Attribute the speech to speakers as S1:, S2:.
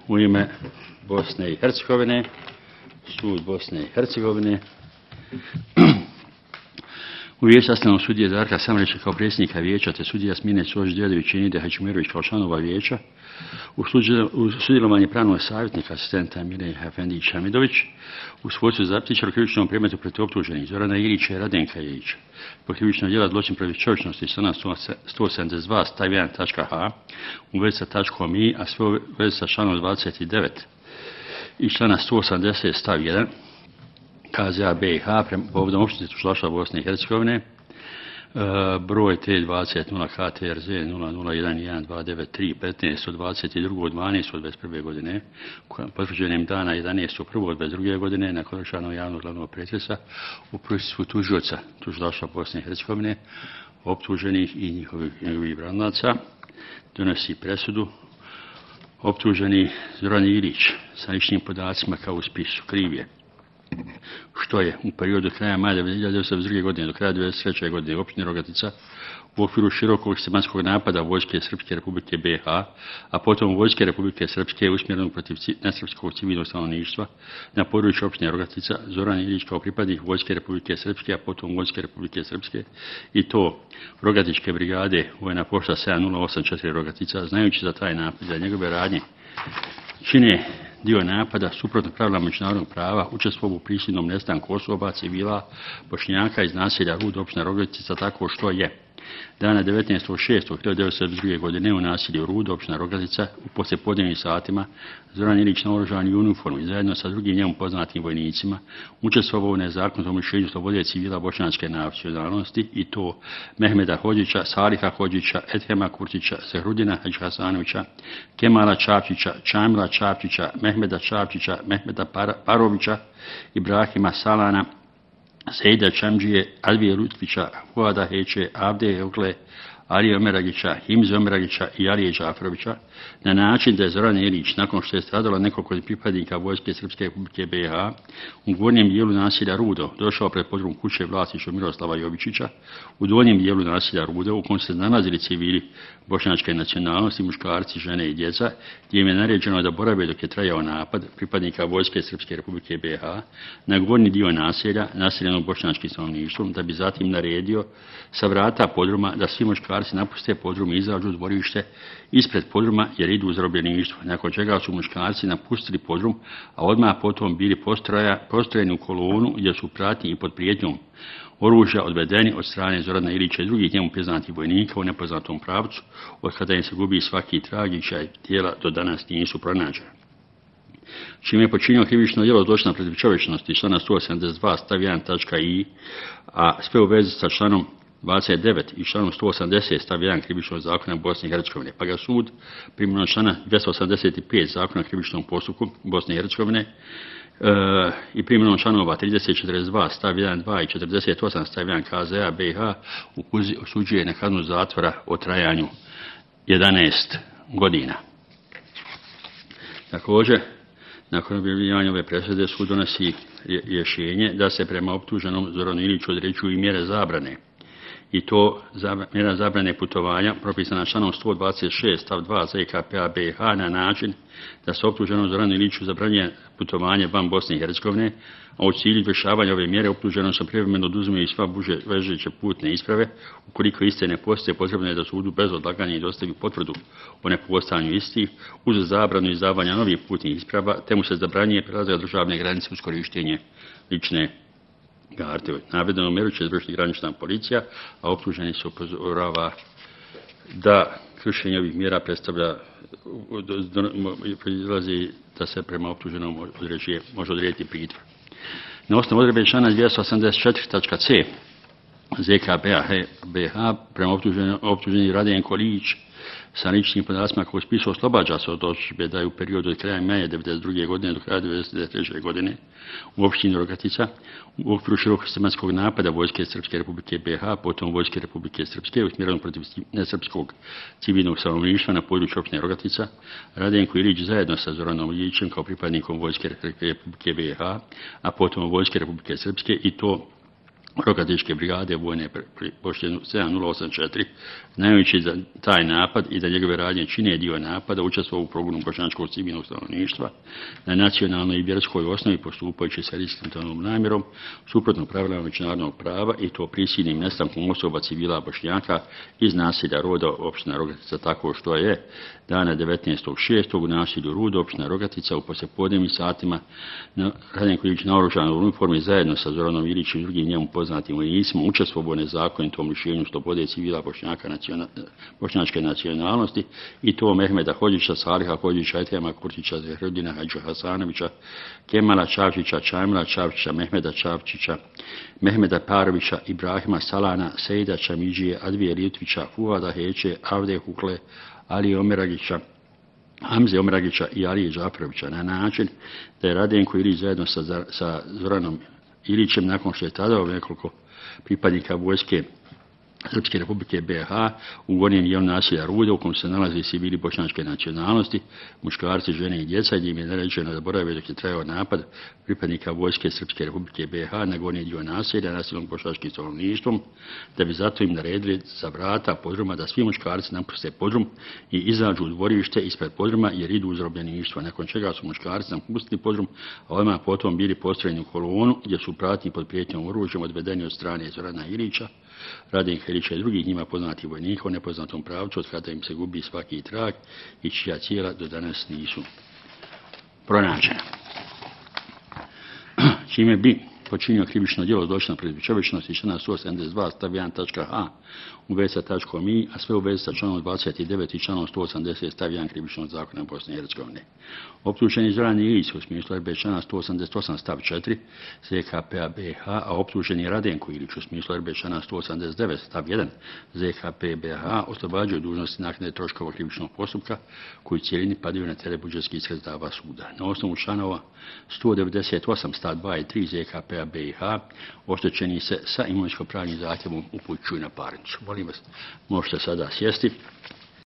S1: u ime Bosne i Hercegovine, sud Bosne i Hercegovine. U vijeću sastavljeno sudije Darka Samreća kao predsjednika vijeća te sudija Smine Sođ-Djedović i Nide Haćimirović kao članova vijeća. U sudjelovanje pravnog savjetnika asistenta Mire Efendić Hamidović, u svojstvu zapisničara u krivičnom predmetu protiv optuženih Zorana Ilića i Radenka Ilića po krivičnog djela zločin protiv čovječnosti člana 172 stav 1.h u vezi sa tačkom i, a sve u vezi sa članom 29 i člana 180 stav 1 KZA BiH povodom općine tužilaštva Bosne i Hercegovine, broj T20 KTRZ 001129 15 od 22.12. od 21. godine, potvrđenim dana 11. 1. od 22. godine, nakon održanog javnog glavnog pretresa u prisustvu tužioca tužilaštva Bosne i Hercegovine, optuženih i njihovih branilaca, donosi presudu. Optuženi Zoran Ilić sa ličnim podacima kao u spisu kriv je što je u periodu kraja maja 1992. godine do kraja 1993. godine u općini Rogatica u okviru širokog sistematskog napada Vojske Srpske Republike BiH, a potom Vojske Republike Srpske usmjerenog protiv nesrpskog civilnog stanovništva na području općine Rogatica, Zoran Ilić kao pripadnik Vojske Republike Srpske, a potom Vojske Republike Srpske i to Rogatičke brigade vojna pošta 7084 Rogatica, znajući za taj napad, za njegove radnje čine dio napada suprotno pravila međunarodnog prava, učestvovao u prisilnom nestanku osoba, civila, Bošnjaka iz naselja Rud, općina Rogatica, tako što je dana 19.6.1992. godine u naselju Rud, općina Rogatica, u poslijepodnevnim satima Zoran Ilić naoružan u uniformu i zajedno sa drugim njemu poznatim vojnicima učestvovao u nezakonitom lišenju slobode civila bošnjačke nacionalnosti i to Mehmeda Hodžića, Saliha Hodžića, Edhema Kurtića, Zehrudina Hadžhasanovića, Kemala Čapčića, Čamila Čapčića, Mehmeda Čapčića, Mehmeda Parovića, Ibrahima Salana, Sejda Čamđije, Alvije Lutfića, Fuada Heće, Avde Ogle, Alije Omeragića, Himze Omeragića i Alije Džaferovića na način da je Zoran Ilić, nakon što je stradalo nekoliko pripadnika Vojske Srpske Republike BiH u gornjem dijelu naselja Rudo, došao pred podrum kuće vlasništva Miroslava Jovičića, u donjem dijelu naselja Rudo, u kojem se nalazili civili bošnjačke nacionalnosti, muškarci, žene i djeca, gdje im je naređeno da borave dok je trajao napad pripadnika Vojske Srpske Republike BiH na gornji dio naselja, naseljenog bošnjačkim stanovništvom, da bi zatim naredio sa vrata podruma da svi muškarci napuste podrum i izađu u dvorište ispred podruma jer idu u zarobljeništvo, nakon čega su muškarci napustili podrum, a odmah potom bili postrojeni u kolonu gdje su pratnji i pod prijetnjom oružja odvedeni od strane Zorana Ilića i drugih njemu poznatih vojnika u nepoznatom pravcu, od kada im se gubi svaki trag i čija tijela do danas nisu pronađena. Čime je počinio krivično djelo zločina protiv čovječnosti člana 172 stav 1.i, a sve u vezi sa članom 29 i članom 180 stav 1 krivičnog zakona Bosne i Hercegovine, pa ga sud primjenom člana 285 zakona o krivičnom postupku Bosne i Hercegovine i primjenom članova 30, 42 stav 1, 2 i 48 stav 1 KZA BiH osuđuje na kaznu zatvora o trajanju 11 godina. Također, nakon objavljivanja ove presude sud donosi rješenje da se prema optuženom Zoranu Iliću određuju i mjere zabrane. I to mjera zabrane putovanja propisana članom 126 stav 2 ZKP-a BiH na način da se optuženom Zoranu Iliću zabranjuje putovanje van Bosne i Hercegovine, a u cilju izvršavanja ove mjere optuženom se privremeno oduzimaju sva važeće putne isprave. Ukoliko iste ne postoje, potrebno je da sudu bez odlaganja i dostavi potvrdu o nepostojanju istih uz zabranu izdavanja novih putnih isprava, te mu se zabranjuje prelazak državne granice uz korištenje lične karte. Navedenu mjeru će izvršiti granična policija, a optuženi se upozorava da kršenje ovih mjera proizlazi da se prema optuženom može odrediti pritvor. Na osnovu odredbe člana 284.c ZKP-a BiH prema optuženi Radenko Ilić sa ličnim podacima koji spisu oslobađa se od optužbe da je u periodu od kraja maja 1992. godine do kraja 1993. godine u općini Rogatica u okviru širokog sistematskog napada Vojske Srpske Republike BiH, potom Vojske Republike Srpske usmjerenog protiv nesrpskog civilnog stanovništva na području općine Rogatica, Radenko Ilić zajedno sa Zoranom Ilićem kao pripadnikom Vojske Republike BiH, a potom Vojske Republike Srpske i to Rokatičke brigade vojne pošte 7084, znajući za taj napad i da njegove radnje čine dio napada, učestvovao u progonu bošnjačkog civilnog stanovništva na nacionalnoj i vjerskoj osnovi postupajući sa iskrenom namjerom, suprotno pravilama međunarodnog prava i to prisilnim nestankom osoba civila Bošnjaka iz naselja Roda opština Rogatica, tako što je dana 19.6. u naselju Rudo opština Rogatica u poslijepodnevnim satima Radenko Ilić naoružan u uniformi zajedno sa Zoranom Ilićem i drugim njemu poznatim vojnicima učestvovao u nezakonitom lišenju slobode civila bošnjačke nacionalnosti i to Mehmeda Hodžića, Saliha Hodžića, Etema Kurtića, Zahredina Hadža Hasanovića, Kemala Čavčića, Čamila Čavčića, Mehmeda Čavčića, Mehmeda Parovića, Ibrahima Salana, Sejda Čamidžije, Advije Litvića, Fuada Heće, Avde Hukle, Ali Omeragića, Hamze Omeragića i Alije Džaferovića na način da je Radenko Ilić zajedno sa Zoranom Ilićem, nakon što je tada nekoliko pripadnika vojske Srpske republike BiH u gornjem dijelu naselja Rude u kojem se nalaze civili bošnjačke nacionalnosti, muškarci, žene i djeca, gdje im je naređeno da borave dok je trajao napad pripadnika vojske Srpske republike BiH na gornji dio naselja nasilnog bošnjačkim stanovništvom, da bi zato im naredili za vrata podruma da svi muškarci napuste podrum i izađu u dvorište ispred podruma jer idu u zarobljeništvo, nakon čega su muškarci napustili podrum, a ovima potom bili postrojeni u kolonu gdje su pratni pod prijetnjom oružjem odvedeni od strane Zorana Ilića, Radenka Ilića i drugih njima poznatih vojnika u nepoznatom pravcu od kada im se gubi svaki trag i čija tijela do danas nisu pronađena. Čime bi počinio krivično djelo zločina protiv čovječnosti člana 172 stav 1.h u vezi sa tačkom I, a sve u vezi sa članom 29 i članom 180 stav 1 krivičnog zakona Bosne i Hercegovine. Optuženi Zoran Ilić u smislu RB člana 188 stav 4 ZKP-a BiH, a optuženi Radenko Ilić u smislu RB člana 189 stav 1 ZKP BiH oslobađaju dužnosti naknade troškova krivičnog postupka koji cijelini padaju na teret budžetskih sredstava suda. Na osnovu članova 198 stav 2 i 3 ZKP-a BiH oštećeni se sa imovinsko-pravnim zahtjevom upućuju na parnicu. Molim vas, možete sada sjesti.